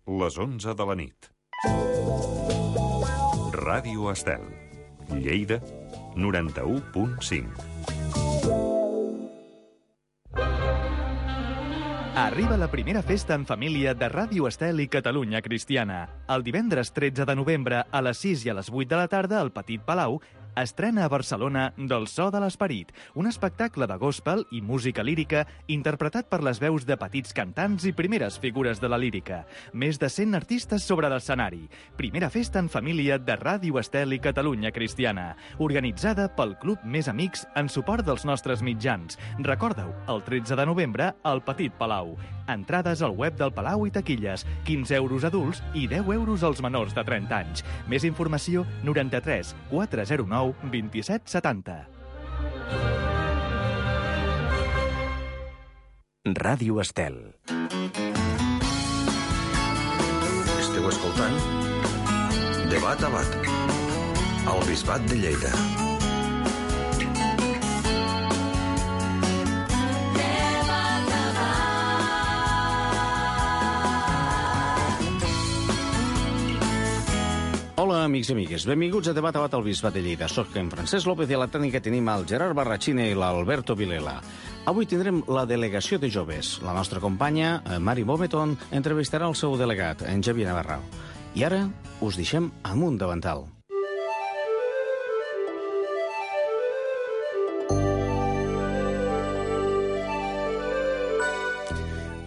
les 11 de la nit. Ràdio Estel, Lleida, 91.5. Arriba la primera festa en família de Ràdio Estel i Catalunya Cristiana. El divendres 13 de novembre, a les 6 i a les 8 de la tarda, al Petit Palau, estrena a Barcelona Del so de l'esperit, un espectacle de gospel i música lírica interpretat per les veus de petits cantants i primeres figures de la lírica. Més de 100 artistes sobre l'escenari. Primera festa en família de Ràdio Estel i Catalunya Cristiana, organitzada pel Club Més Amics en suport dels nostres mitjans. Recorda-ho, el 13 de novembre al Petit Palau. Entrades al web del Palau i taquilles, 15 euros adults i 10 euros als menors de 30 anys. Més informació, 93 409 27 70. Ràdio Estel. Esteu escoltant Debat a Bat, al Bisbat de Lleida. Hola, amics i amigues. Benvinguts a Debat a Bat al Bisbat de Lleida. Soc en Francesc López i a la tècnica tenim el Gerard Barrachina i l'Alberto Vilela. Avui tindrem la delegació de joves. La nostra companya, Mari Bometon, entrevistarà el seu delegat, en Xavier Navarro. I ara us deixem amb un davantal.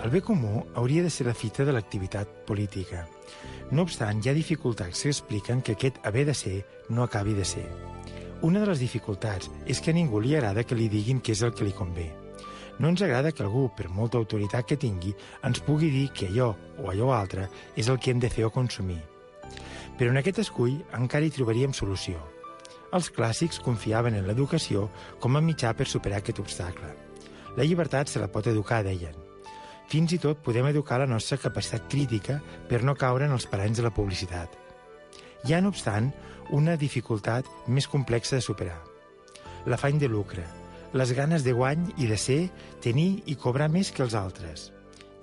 El bé comú hauria de ser la fita de l'activitat política. No obstant, hi ha dificultats que expliquen que aquest haver de ser no acabi de ser. Una de les dificultats és que a ningú li agrada que li diguin què és el que li convé. No ens agrada que algú, per molta autoritat que tingui, ens pugui dir que allò o allò altre és el que hem de fer o consumir. Però en aquest escull encara hi trobaríem solució. Els clàssics confiaven en l'educació com a mitjà per superar aquest obstacle. La llibertat se la pot educar, deien. Fins i tot podem educar la nostra capacitat crítica per no caure en els paranys de la publicitat. Hi ha, no obstant, una dificultat més complexa de superar. L'afany de lucre, les ganes de guany i de ser, tenir i cobrar més que els altres.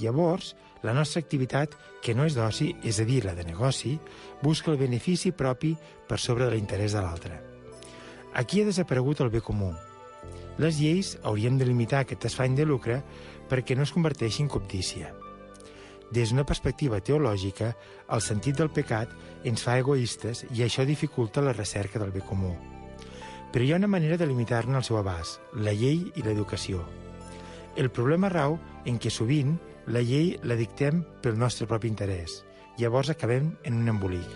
Llavors, la nostra activitat, que no és d'oci, és a dir, la de negoci, busca el benefici propi per sobre de l'interès de l'altre. Aquí ha desaparegut el bé comú. Les lleis haurien de limitar aquest afany de lucre perquè no es converteixi en cobdícia. Des d'una perspectiva teològica, el sentit del pecat ens fa egoistes i això dificulta la recerca del bé comú. Però hi ha una manera de limitar-ne el seu abast, la llei i l'educació. El problema rau en què sovint la llei la dictem pel nostre propi interès. Llavors acabem en un embolic.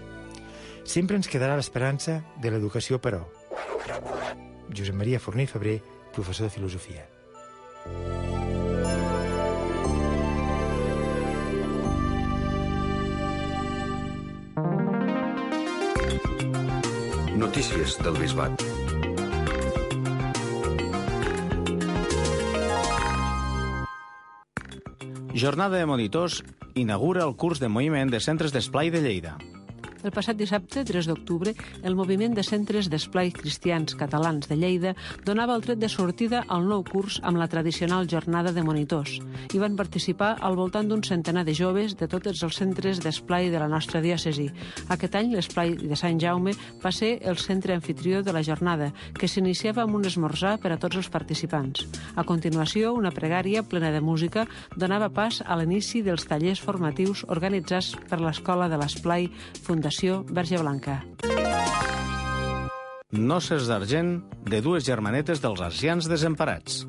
Sempre ens quedarà l'esperança de l'educació, però. Josep Maria Forner i Febrer, professor de filosofia. Notícies del Bisbat. Jornada de monitors inaugura el curs de moviment de centres d'esplai de Lleida. El passat dissabte, 3 d'octubre, el moviment de centres d'esplai cristians catalans de Lleida donava el tret de sortida al nou curs amb la tradicional jornada de monitors. Hi van participar al voltant d'un centenar de joves de tots els centres d'esplai de la nostra diòcesi. Aquest any, l'esplai de Sant Jaume va ser el centre anfitrió de la jornada, que s'iniciava amb un esmorzar per a tots els participants. A continuació, una pregària plena de música donava pas a l'inici dels tallers formatius organitzats per l'Escola de l'Esplai Fundació Verge Blanca. Noces d'argent de dues germanetes dels ancians desemparats.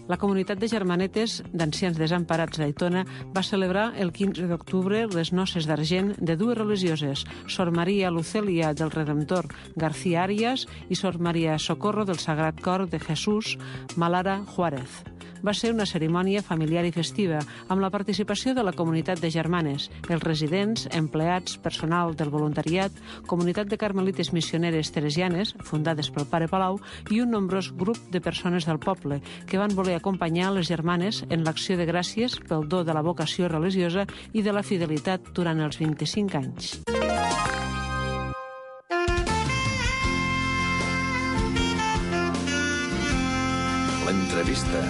La comunitat de germanetes d'ancians desemparats d'Aitona va celebrar el 15 d'octubre les noces d'argent de dues religioses, Sor Maria Lucelia del Redemptor García Arias i Sor Maria Socorro del Sagrat Cor de Jesús Malara Juárez. Va ser una cerimònia familiar i festiva, amb la participació de la comunitat de germanes, els residents, empleats, personal del voluntariat, comunitat de carmelites missioneres teresianes, fundades pel pare Palau, i un nombrós grup de persones del poble, que van voler acompanyar les germanes en l'acció de gràcies pel do de la vocació religiosa i de la fidelitat durant els 25 anys. L'entrevista.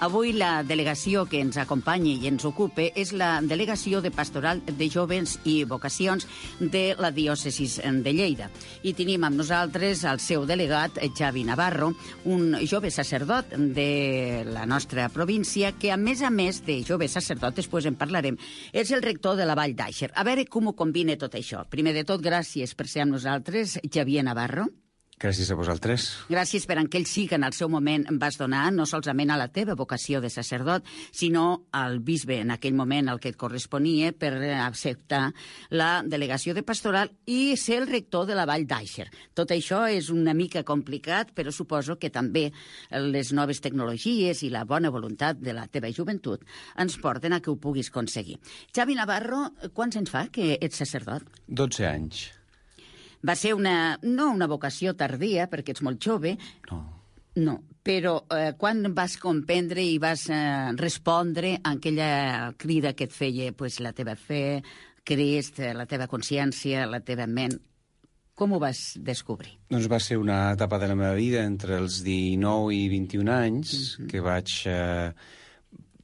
Avui la delegació que ens acompanya i ens ocupa és la Delegació de Pastoral de Jóvens i Vocacions de la Diòcesis de Lleida. I tenim amb nosaltres el seu delegat, Xavi Navarro, un jove sacerdot de la nostra província que, a més de jove sacerdot, després en parlarem, és el rector de la Vall d'Àixer. A veure com ho combina tot això. Primer de tot, gràcies per ser amb nosaltres, Xavier Navarro. Gràcies a vosaltres. Gràcies per aquell sí que en el seu moment vas donar, no solament a la teva vocació de sacerdot, sinó al bisbe en aquell moment al que et corresponia per acceptar la delegació de pastoral i ser el rector de la Vall d'Àixer. Tot això és una mica complicat, però suposo que també les noves tecnologies i la bona voluntat de la teva joventut ens porten a que ho puguis aconseguir. Xavi Navarro, quants anys fa que ets sacerdot? 12 anys. Va ser no una vocació tardia, perquè ets molt jove. No, però quan vas comprendre i vas respondre a aquella crida que et feia la teva fe, Crist, la teva consciència, la teva ment, com ho vas descobrir? Doncs va ser una etapa de la meva vida entre els 19 i 21 anys que vaig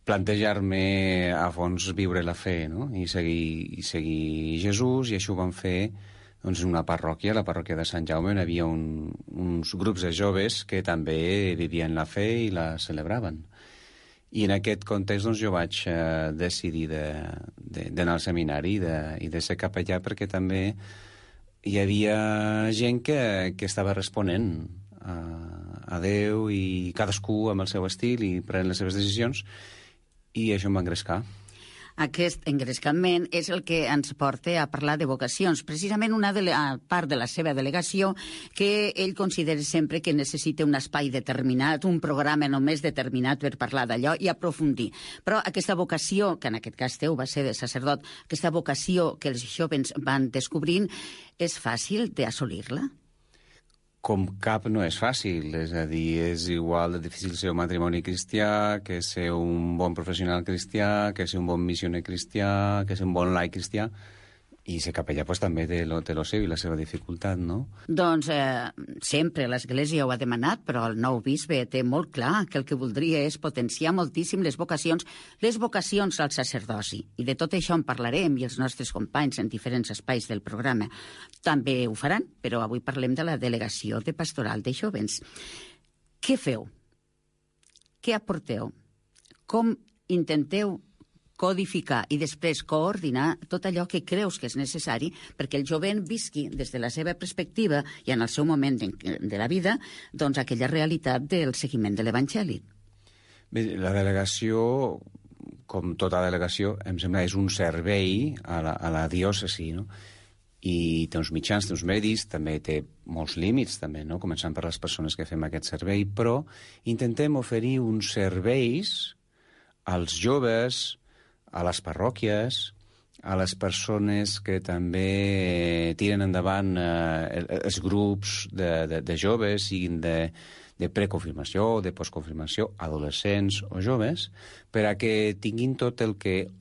plantejar-me a fons viure la fe, no? I seguir Jesús, i això ho vam fer doncs, en una parròquia, la parròquia de Sant Jaume, on hi havia uns grups de joves que també vivien la fe i la celebraven. I en aquest context doncs, jo vaig decidir d'anar al seminari i de ser capellà, perquè també hi havia gent que estava responent a Déu, i cadascú amb el seu estil i prenent les seves decisions, i això em va engrescar. Aquest engrescament és el que ens porta a parlar de vocacions. Precisament una part de la seva delegació que ell considera sempre que necessita un espai determinat, un programa només determinat per parlar d'allò i aprofundir. Però aquesta vocació, que en aquest cas teu va ser de sacerdot, aquesta vocació que els jovens van descobrint, és fàcil d'assolir-la? Com cap no és fàcil, és a dir, és igual de difícil ser un matrimoni cristià, que ser un bon professional cristià, que ser un bon missioner cristià, que ser un bon laic cristià, i ser capellà pues, també té lo seu i la seva dificultat, no? Doncs sempre l'Església ho ha demanat, però el nou bisbe té molt clar que el que voldria és potenciar moltíssim les vocacions al sacerdoci. I de tot això en parlarem, i els nostres companys en diferents espais del programa també ho faran, però avui parlem de la Delegació de Pastoral de Jóvens. Què feu? Què aporteu? Com intenteu codificar i després coordinar tot allò que creus que és necessari perquè el jovent visqui des de la seva perspectiva i en el seu moment de la vida doncs aquella realitat del seguiment de l'Evangeli? Bé, la delegació, com tota delegació, em sembla és un servei a la diòcesi, no? I té uns mitjans, té uns medis, també té molts límits, també, no? Començant per les persones que fem aquest servei, però intentem oferir uns serveis als joves, a les parròquies, a les persones que també tiren endavant els grups de joves, siguin de preconfirmació, de postconfirmació, adolescents o joves, per a que tinguin tot el que,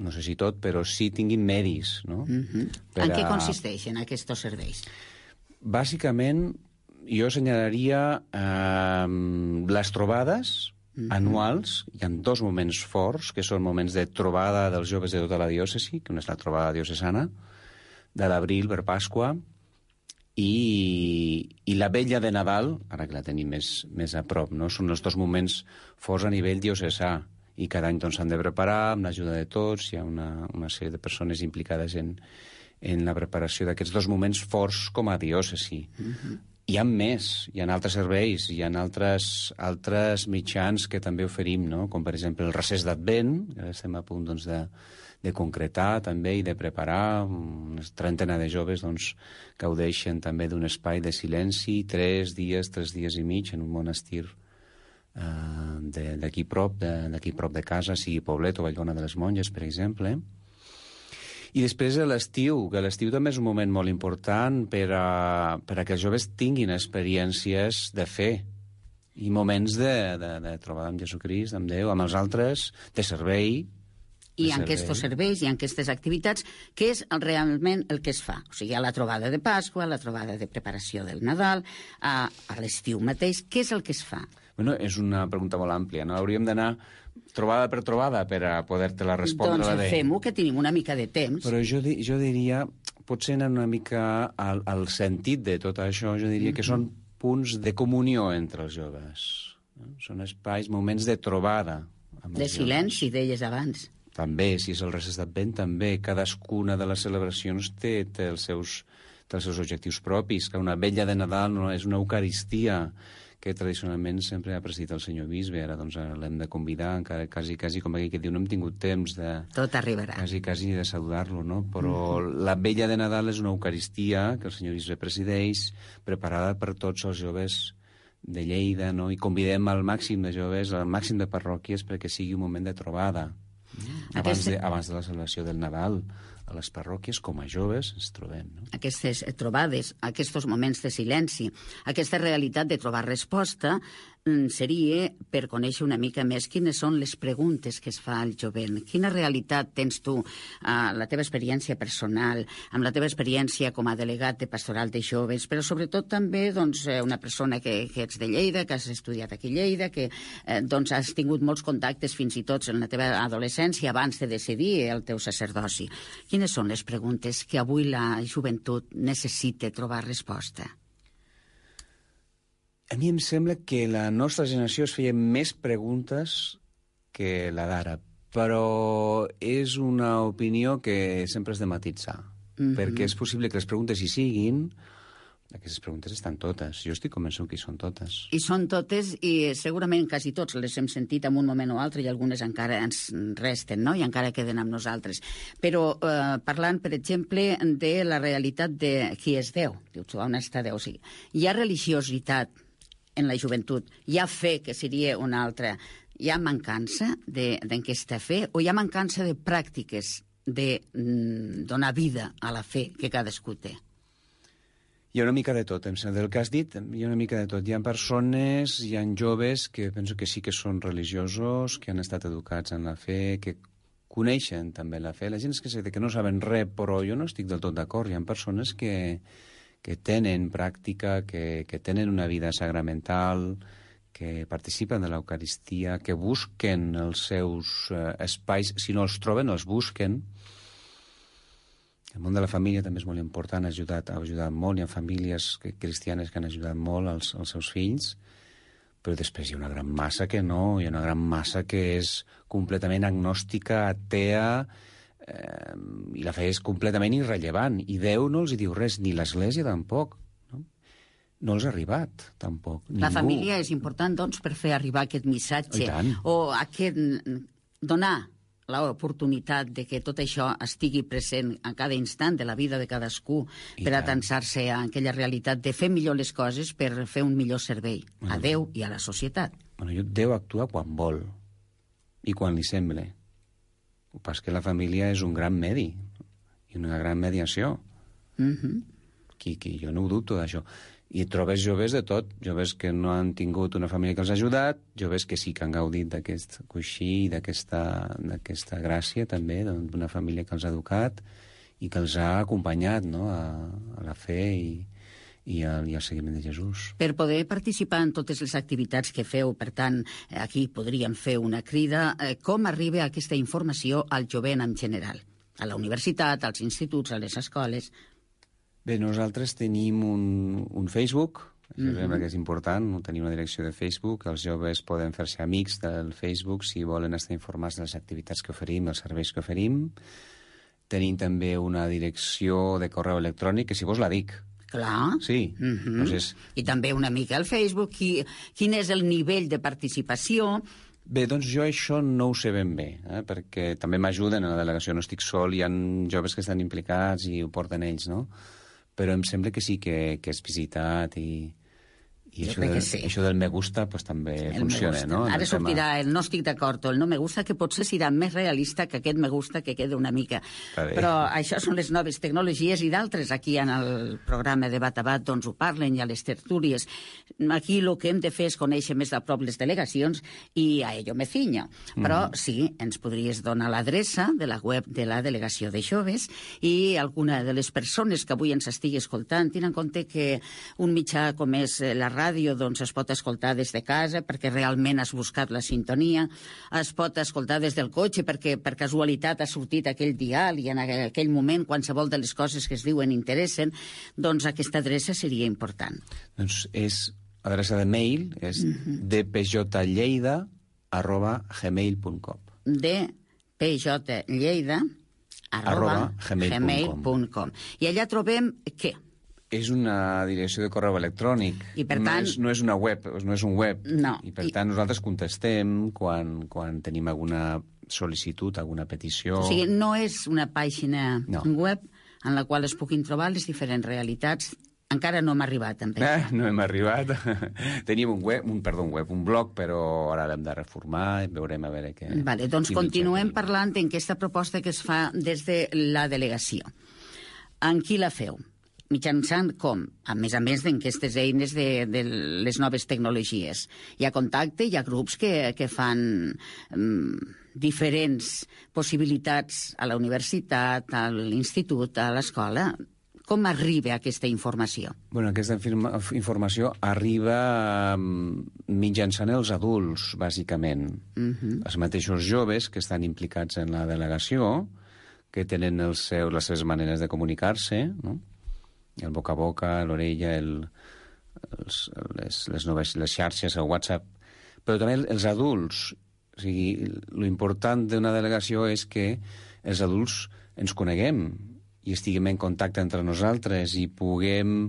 no sé si tot, però sí tinguin medis, no? En què consisteixen aquests serveis? Bàsicament, jo assenyalaria les trobades anuals. Hi ha dos moments forts, que són moments de trobada dels joves de tota la diòcesi, que una és la trobada diocesana, de l'abril per Pasqua, i la vetlla de Nadal, ara que la tenim més a prop, no? Són els dos moments forts a nivell diocesà, i cada any doncs, s'han de preparar amb l'ajuda de tots. Hi ha una sèrie de persones implicades en la preparació d'aquests dos moments forts com a diòcesi. Hi ha més, hi ha altres serveis, hi ha altres mitjans que també oferim, no? Com per exemple el recés d'Advent, que estem a punt doncs, de concretar també i de preparar. Una trentena de joves doncs, gaudeixen també d'un espai de silenci, 3 dies i mig en un monestir d'aquí prop de casa, sigui Poblet o Vallbona de les Monges, per exemple. I després l'estiu, que l'estiu també és un moment molt important per a que els joves tinguin experiències de fe i moments de trobada amb Jesucrist, amb Déu, amb els altres, de servei. I en aquests serveis i en aquestes activitats, què és realment el que es fa? O sigui, a la trobada de Pasqua, a la trobada de preparació del Nadal, a l'estiu mateix, què és el que es fa? Bueno, és una pregunta molt àmplia, no? Hauríem d'anar trobada per trobada per a poder-te-la respondre. Doncs fem-ho, que tenim una mica de temps. Però jo diria, potser anar una mica al sentit de tot això, jo diria que són punts de comunió entre els joves. No? Són espais, moments de trobada. De silenci, deies abans. També, si és el Reis d'Advent, també. Cadascuna de les celebracions té els seus objectius propis, que una vetlla de Nadal no és una eucaristia que tradicionalment sempre ha presidit el senyor bisbe. Ara doncs l'hem de convidar, encara quasi com aquell que diu, no hem tingut temps de... Tot arribarà. Quasi de saludar-lo, no? Però la vetlla de Nadal és una eucaristia que el senyor bisbe presideix, preparada per tots els joves de Lleida, no? I convidem al màxim de joves, al màxim de parròquies, perquè sigui un moment de trobada. Abans de la celebració del Nadal, a les parròquies, com a joves, ens trobem. No? Aquestes trobades, aquests moments de silenci, aquesta realitat de trobar resposta seria per conèixer una mica més quines són les preguntes que es fa al jovent. Quina realitat tens tu, la teva experiència personal, amb la teva experiència com a delegat de pastoral de joves, però sobretot també doncs, una persona que ets de Lleida, que has estudiat aquí a Lleida, que doncs, has tingut molts contactes fins i tot en la teva adolescència abans de decidir el teu sacerdoci. Quines són les preguntes que avui la joventut necessita trobar resposta? A mi em sembla que la nostra generació es feia més preguntes que la d'ara, però és una opinió que sempre has de matitzar, perquè és possible que les preguntes hi siguin, aquestes preguntes estan totes, jo estic convençut que hi són totes. I són totes, i segurament quasi tots les hem sentit en un moment o altre, i algunes encara ens resten, no? I encara queden amb nosaltres. Però parlant, per exemple, de la realitat de qui és Déu, dius, on està Déu? O sigui, hi ha religiositat en la joventut, hi ha fe, que seria una altra, hi ha mancança d'aquesta fe, o hi ha mancança de pràctiques de donar vida a la fe que cadascú té? Hi ha una mica de tot, em sembla, del que has dit, hi ha una mica de tot. Hi ha persones, hi ha joves que penso que sí que són religiosos, que han estat educats en la fe, que coneixen també la fe. La gent és que no saben res, però jo no estic del tot d'acord. Hi ha persones que tenen pràctica, que tenen una vida sacramental, que participen de l'Eucaristia, que busquen els seus espais, si no els troben, els busquen. El món de la família també és molt important, ha ajudat molt, hi ha famílies cristianes que han ajudat molt als seus fills, però després hi ha una gran massa que no, hi ha una gran massa que és completament agnòstica, atea, i la fe és completament irrellevant, i Déu no els hi diu res, ni l'Església tampoc. No els ha arribat, tampoc. Ningú. La família és important, doncs, per fer arribar aquest missatge, o donar l'oportunitat de que tot això estigui present a cada instant de la vida de cadascú per atansar-se a aquella realitat de fer millor les coses per fer un millor servei a Déu i a la societat. Déu actua quan vol i quan li sembla. El que passa és que la família és un gran medi i una gran mediació. Jo no ho dubto d'això. I trobes joves de tot, joves que no han tingut una família que els ha ajudat, joves que sí que han gaudit d'aquest coixí, d'aquesta gràcia també, d'una família que els ha educat i que els ha acompanyat, no?, a la fe i al seguiment de Jesús. Per poder participar en totes les activitats que feu, per tant, aquí podríem fer una crida, com arriba aquesta informació al jovent en general? A la universitat, als instituts, a les escoles? Bé, nosaltres tenim un Facebook, que és important, tenim una direcció de Facebook, els joves poden fer-se amics del Facebook si volen estar informats de les activitats que oferim, els serveis que oferim. Tenim també una direcció de correu electrònic, que si vols la dic. Clar. Sí. Doncs I també una mica al Facebook. Quin és el nivell de participació? Bé, doncs jo això no ho sé ben bé, perquè també m'ajuden a la delegació, no estic sol, hi ha joves que estan implicats i ho porten ells, no? Però em sembla que sí que és visitat i això del me gusta pues, també funciona, no? Ara sortirà el no estic d'acord o el no me gusta, que potser serà més realista que aquest me gusta que queda una mica. Però això són les noves tecnologies i d'altres aquí en el programa de Bat a Bat doncs ho parlen i a les tertúlies. Aquí el que hem de fer és conèixer més a prop les delegacions i a ello me ciño. Però sí, ens podries donar l'adreça de la web de la Delegació de Joves i alguna de les persones que avui ens estigui escoltant, tenint en compte que un mitjà com és la ràdio doncs, es pot escoltar des de casa perquè realment has buscat la sintonia, es pot escoltar des del cotxe perquè per casualitat ha sortit aquell dial i en aquell moment qualsevol de les coses que es diuen interessen, doncs aquesta adreça seria important. Doncs és adreça de mail, és dpjlleida@gmail.com. dpjlleida@gmail.com. I allà trobem què? És una direcció de correu electrònic. I per tant... No és una web, no és un web. No. I per tant nosaltres contestem quan tenim alguna sol·licitud, alguna petició. O sigui, no és una pàgina web en la qual es puguin trobar les diferents realitats. Encara no hem arribat amb això. No hem arribat. Teníem un blog, però ara l'hem de reformar i veurem a veure què... Vale, doncs continuem parlant d'aquesta proposta que es fa des de la delegació. En qui la feu? Mitjançant com? A més d'aquestes eines de les noves tecnologies. Hi ha contacte, hi ha grups que fan diferents possibilitats a la universitat, a l'institut, a l'escola. Com arriba aquesta informació? Bueno, aquesta informació arriba mitjançant els adults, bàsicament. Els mateixos joves que estan implicats en la delegació, que tenen les seves maneres de comunicar-se, no? El boca a boca, l'orella, les xarxes, el WhatsApp, però també els adults. O sigui, l'important d'una delegació és que els adults ens coneguem i estiguem en contacte entre nosaltres i puguem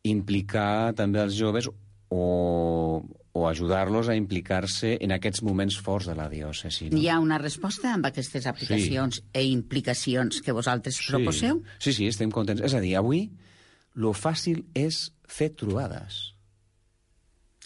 implicar també els joves o ajudar-los a implicar-se en aquests moments forts de la diòcesi. No? Hi ha una resposta amb aquestes aplicacions i implicacions que vosaltres proposeu? Sí, estem contents. És a dir, avui lo fàcil és fer trobades.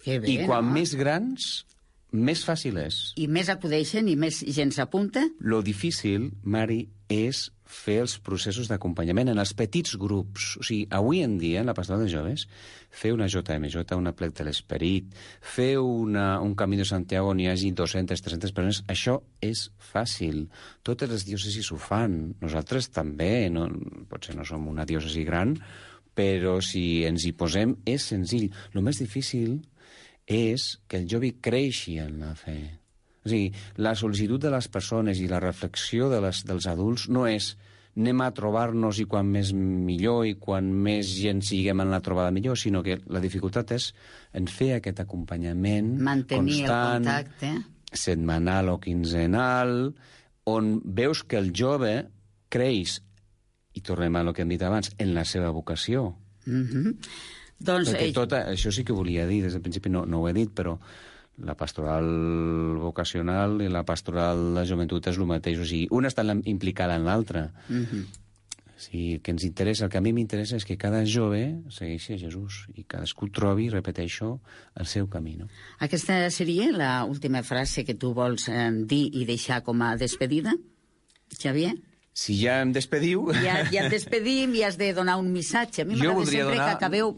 Que bé, I quan no? més grans, més fàcil és. I més acudeixen i més gent s'apunta? Lo difícil, Mari, és fer els processos d'acompanyament en els petits grups. O sigui, avui en dia, en la pastoral de joves, fer una JMJ, una plec de l'esperit, fer un camí de Santiago on hi hagi 200, 300 persones, això és fàcil. Totes les diòcesis ho fan. Nosaltres també. Potser no som una diòcesi gran, però si ens hi posem és senzill. El més difícil és que el jove creixi en la fe. O sigui, la sol·licitud de les persones i la reflexió dels adults no és anem a trobar-nos i quan més millor i quan més gent siguem en la trobada millor, sinó que la dificultat és en fer aquest acompanyament mantenir constant, el contacte, setmanal o quinzenal, on veus que el jove creix, i tornem a lo que hem dit abans, en la seva vocació. Doncs, Perquè això sí que volia dir, des del principi no ho he dit, però la pastoral vocacional i la pastoral de joventut és el mateix. O sigui, una està implicada en l'altra. O sigui, el que a mi m'interessa és que cada jove segueixi a Jesús i cadascú trobi, repeteixo, el seu camí. No? Aquesta seria l'última frase que tu vols dir i deixar com a despedida, Xavier? Si ja em despediu... Ja et despedim i has de donar un missatge. A mi m'agrada sempre que acabeu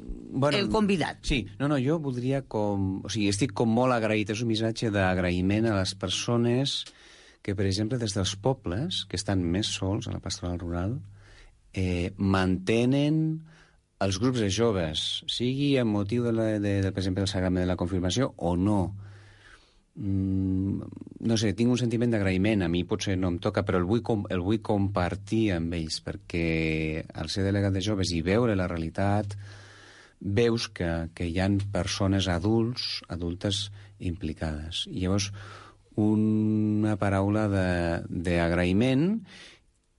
el convidat. Sí, jo voldria O sigui, estic molt agraït. És un missatge d'agraïment a les persones que, per exemple, des dels pobles, que estan més sols a la pastoral rural, mantenen els grups de joves, sigui amb motiu, per exemple, del sagrament de la confirmació o no. No sé, tinc un sentiment d'agraïment. A mi potser no em toca, però el vull compartir amb ells, perquè al ser delegat de joves i veure la realitat, veus que hi ha persones adultes implicades. I llavors, una paraula d'agraïment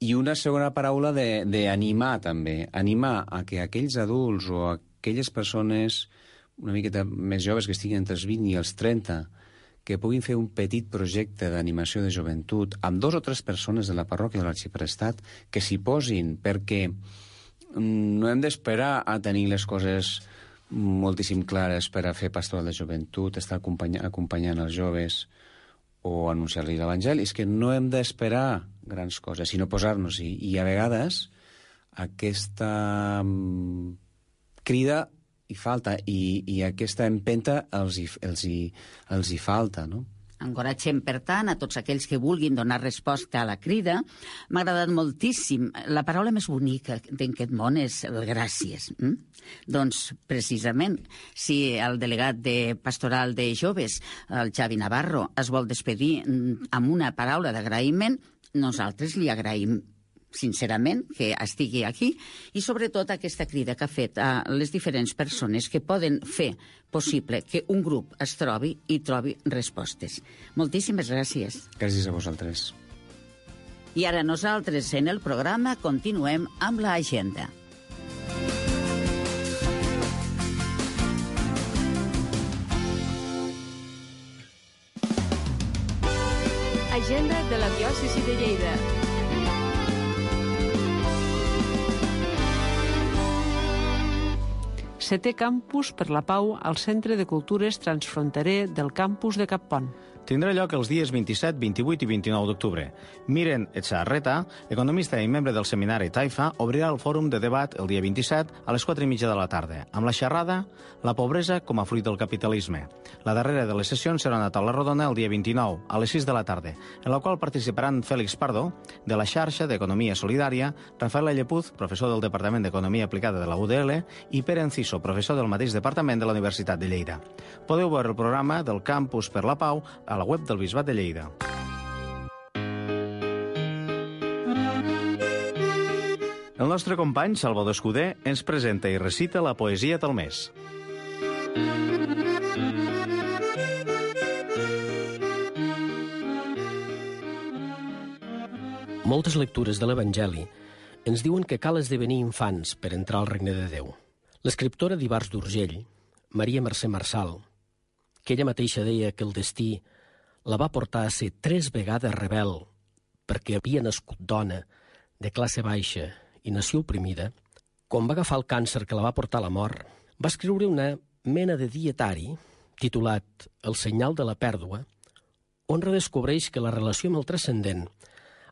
i una segona paraula d'animar, també. Animar a que aquells adults o aquelles persones una miqueta més joves que estiguin entre els 20 i els 30 que puguin fer un petit projecte d'animació de joventut amb 2 o 3 persones de la parròquia de l'Arxiprestat que s'hi posin, perquè no hem d'esperar a tenir les coses moltíssim clares per a fer pastoral de joventut, estar acompanyant els joves o anunciar-los l'Evangeli. És que no hem d'esperar grans coses, sinó posar-nos-hi. I a vegades aquesta crida hi falta i aquesta empenta els hi falta, no? Encoratgem, per tant, a tots aquells que vulguin donar resposta a la crida. M'ha agradat moltíssim. La paraula més bonica d'aquest món és el gràcies. Doncs, precisament, si el delegat de Pastoral de Joves, el Xavi Navarro, es vol despedir amb una paraula d'agraïment, nosaltres li agraïm sincerament que estigui aquí i sobretot aquesta crida que ha fet a les diferents persones que poden fer possible que un grup es trobi i trobi respostes. Moltíssimes gràcies. Gràcies a vosaltres. I ara nosaltres en el programa continuem amb l'agenda. Agenda de la diòcesi de Lleida. Setè Campus per la Pau al Centre de Cultures Transfronterer del campus de Cappont. Tindrà lloc els dies 27, 28 i 29 d'octubre. Miren Etxarreta, economista i membre del seminari Taifa, obrirà el fòrum de debat el dia 27 a les 4:30 de la tarda, amb la xerrada La pobresa com a fruit del capitalisme. La darrera de les sessions serà una taula rodona el dia 29, a les 6 de la tarda, en la qual participaran Félix Pardo, de la xarxa d'Economia Solidària, Rafael Llepuz, professor del Departament d'Economia Aplicada de la UDL, i Pere Enciso, professor del mateix departament de la Universitat de Lleida. Podeu veure el programa del Campus per la Pau a la web del Bisbat de Lleida. El nostre company, Salvador Escudé, ens presenta i recita la poesia del mes. Moltes lectures de l'Evangeli ens diuen que cal esdevenir infants per entrar al regne de Déu. L'escriptora d'Ivars d'Urgell, Maria Mercè Marçal, que ella mateixa deia que el destí la va portar a ser 3 vegades rebel perquè havia nascut dona, de classe baixa i nació oprimida, quan va agafar el càncer que la va portar a la mort, va escriure una mena de dietari titulat El senyal de la pèrdua, on redescobreix que la relació amb el transcendent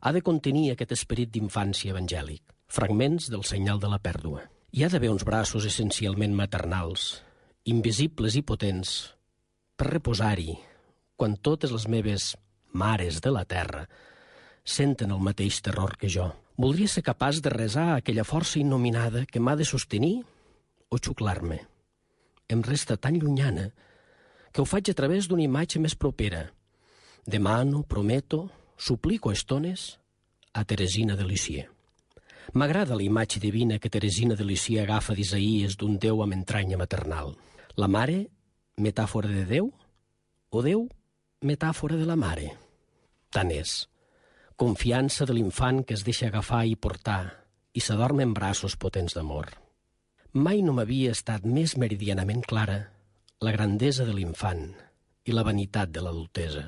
ha de contenir aquest esperit d'infància evangèlic, fragments del senyal de la pèrdua. Hi ha d'haver uns braços essencialment maternals, invisibles i potents, per reposar-hi, quan totes les meves mares de la terra senten el mateix terror que jo. Voldria ser capaç de resar aquella força innominada que m'ha de sostenir o xuclar-me. Em resta tan llunyana que ho faig a través d'una imatge més propera. Demano, prometo, suplico a estones a Teresina de Lisieux. M'agrada la imatge divina que Teresina de Lisieux agafa d'Isaïes d'un Déu amb entranya maternal. La mare, metàfora de Déu, o Déu, metàfora de la mare. Tant és. Confiança de l'infant que es deixa agafar i portar i s'adorm en braços potents d'amor. Mai no m'havia estat més meridianament clara la grandesa de l'infant i la vanitat de l'adultesa.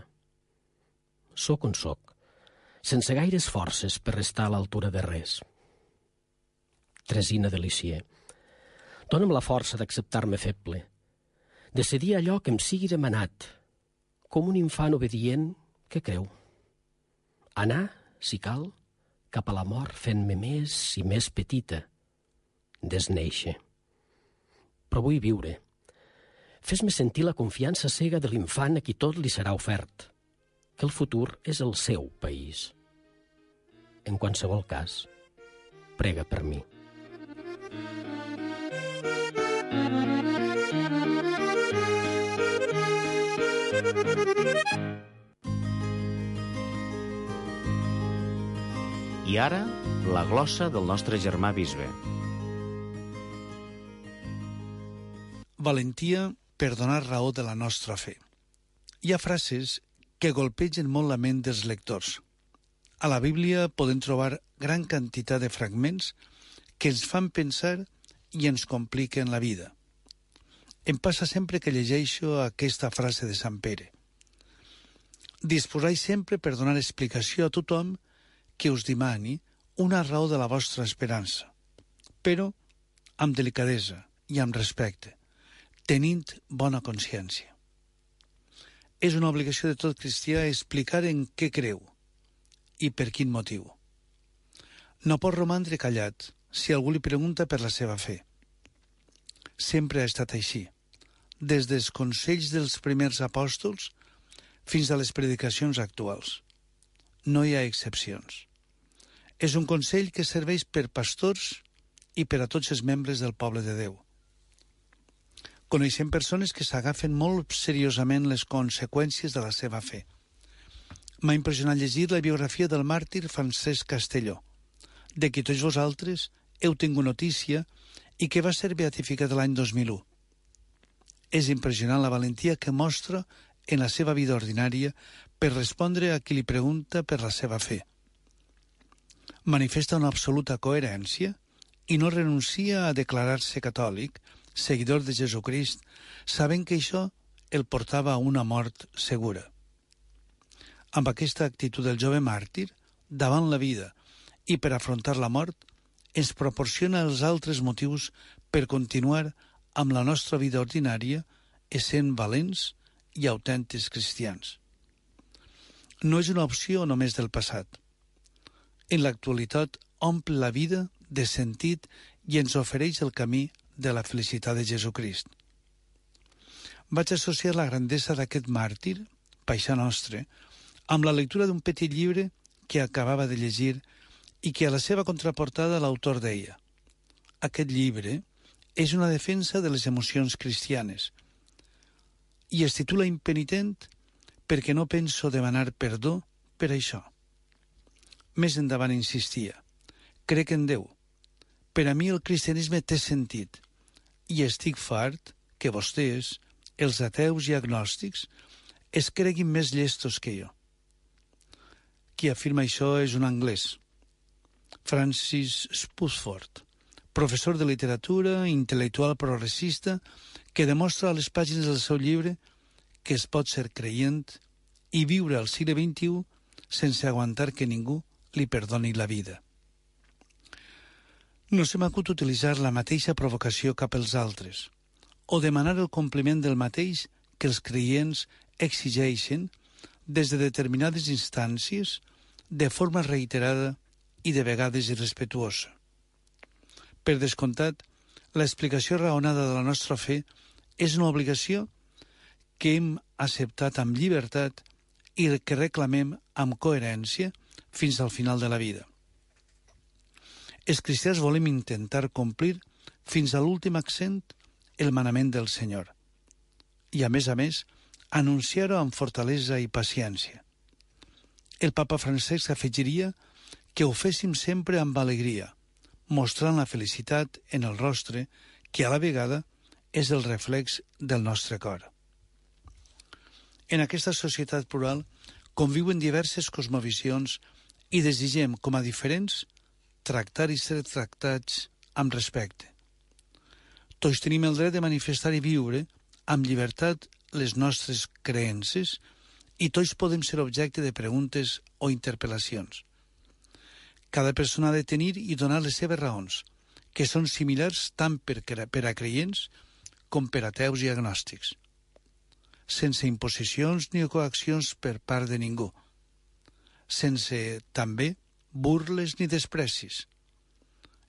Soc on soc, sense gaires forces per restar a l'altura de res. Teresina de Lisieux, dona'm la força d'acceptar-me feble, de cedir allò que em sigui demanat, com un infant obedient que creu. Anar, si cal, cap a la mort fent-me més i més petita, desnéixer. Però vull viure. Fes-me sentir la confiança cega de l'infant a qui tot li serà ofert, que el futur és el seu país. En qualsevol cas, prega per mi. I ara, la glossa del nostre germà bisbe. Valentia per donar raó de la nostra fe. Hi ha frases que golpegen molt la ment dels lectors. A la Bíblia podem trobar gran quantitat de fragments que ens fan pensar i ens compliquen la vida. Em passa sempre que llegeixo aquesta frase de Sant Pere. Disposai sempre per donar explicació a tothom que us demani una raó de la vostra esperança, però amb delicadesa i amb respecte, tenint bona consciència. És una obligació de tot cristià explicar en què creu i per quin motiu. No pot romandre callat si algú li pregunta per la seva fe. Sempre ha estat així. Des dels consells dels primers apòstols fins a les predicacions actuals. No hi ha excepcions. És un consell que serveix per pastors i per a tots els membres del poble de Déu. Coneixem persones que s'agafen molt seriosament les conseqüències de la seva fe. M'ha impressionat llegir la biografia del màrtir Francesc Castelló, de qui tots vosaltres heu tingut notícia i que va ser beatificat l'any 2001. És impressionant la valentia que mostra en la seva vida ordinària per respondre a qui li pregunta per la seva fe. Manifesta una absoluta coherència i no renuncia a declarar-se catòlic, seguidor de Jesucrist, sabent que això el portava a una mort segura. Amb aquesta actitud del jove màrtir, davant la vida i per afrontar la mort, ens proporciona els altres motius per continuar amb la nostra vida ordinària, essent valents i autèntics cristians. No és una opció només del passat. En l'actualitat omple la vida de sentit i ens ofereix el camí de la felicitat de Jesucrist. Vaig associar la grandesa d'aquest màrtir, paisà nostre, amb la lectura d'un petit llibre que acabava de llegir i que a la seva contraportada l'autor deia: aquest llibre és una defensa de les emocions cristianes i es titula Impenitent perquè no penso demanar perdó per això. Més endavant insistia: crec en Déu. Per a mi el cristianisme té sentit i estic fart que vostès, els ateus i agnòstics, es creguin més llestos que jo. Qui afirma això és un anglès, Francis Spusford, professor de literatura, intel·lectual progressista, que demostra a les pàgines del seu llibre que es pot ser creient i viure al segle XXI sense aguantar que ningú li perdoni la vida. No se m'acut utilitzar la mateixa provocació cap als altres o demanar el compliment del mateix que els creients exigeixen des de determinades instàncies de forma reiterada i de vegades irrespetuosa. Per descomptat, l'explicació raonada de la nostra fe és una obligació que hem acceptat amb llibertat i que reclamem amb coherència fins al final de la vida. Els cristians volem intentar complir fins a l'últim accent el manament del Senyor i, a més, anunciar-ho amb fortalesa i paciència. El papa Francesc afegiria que ho féssim sempre amb alegria, mostrant la felicitat en el rostre que a la vegada és el reflex del nostre cor. En aquesta societat plural conviuen diverses cosmovisions i desitgem, com a diferents, tractar i ser tractats amb respecte. Tots tenim el dret de manifestar i viure amb llibertat les nostres creences i tots podem ser objecte de preguntes o interpel·lacions. Cada persona ha de tenir i donar les seves raons, que són similars tant per a creients com per a ateus i agnòstics, sense imposicions ni coaccions per part de ningú, sense, també, burles ni desprecis.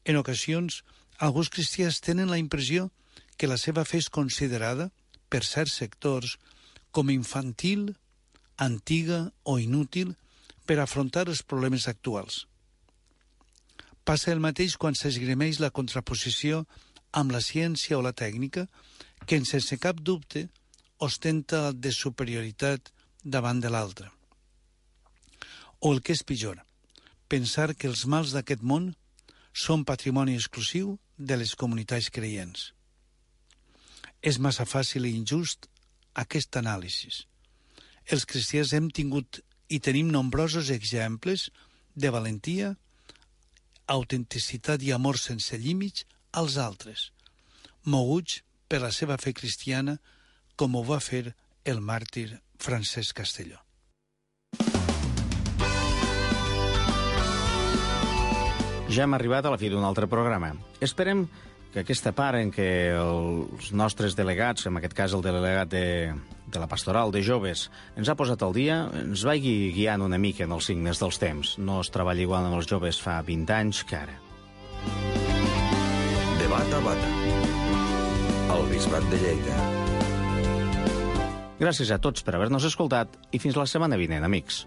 En ocasions, alguns cristians tenen la impressió que la seva fe és considerada, per certs sectors, com infantil, antiga o inútil per afrontar els problemes actuals. Passa el mateix quan s'esgrimeix la contraposició amb la ciència o la tècnica, que sense cap dubte ostenta de superioritat davant de l'altra. O el que és pitjor, pensar que els mals d'aquest món són patrimoni exclusiu de les comunitats creients. És massa fàcil i injust aquest anàlisi. Els cristians hem tingut i tenim nombrosos exemples de valentia, autenticitat i amor sense límits als altres, moguts per la seva fe cristiana, com ho va fer el màrtir Francesc Castelló. Ja hem arribat a la fi d'un altre programa. Esperem que aquesta part en què els nostres delegats, en aquest cas el delegat de la pastoral de joves, ens ha posat al dia, ens vagi guiant una mica en els signes dels temps. No es treballa igual amb els joves fa 20 anys que ara. Debat a Bata, al Bisbat de Lleida. Gràcies a tots per haver-nos escoltat i fins la setmana vinent, amics.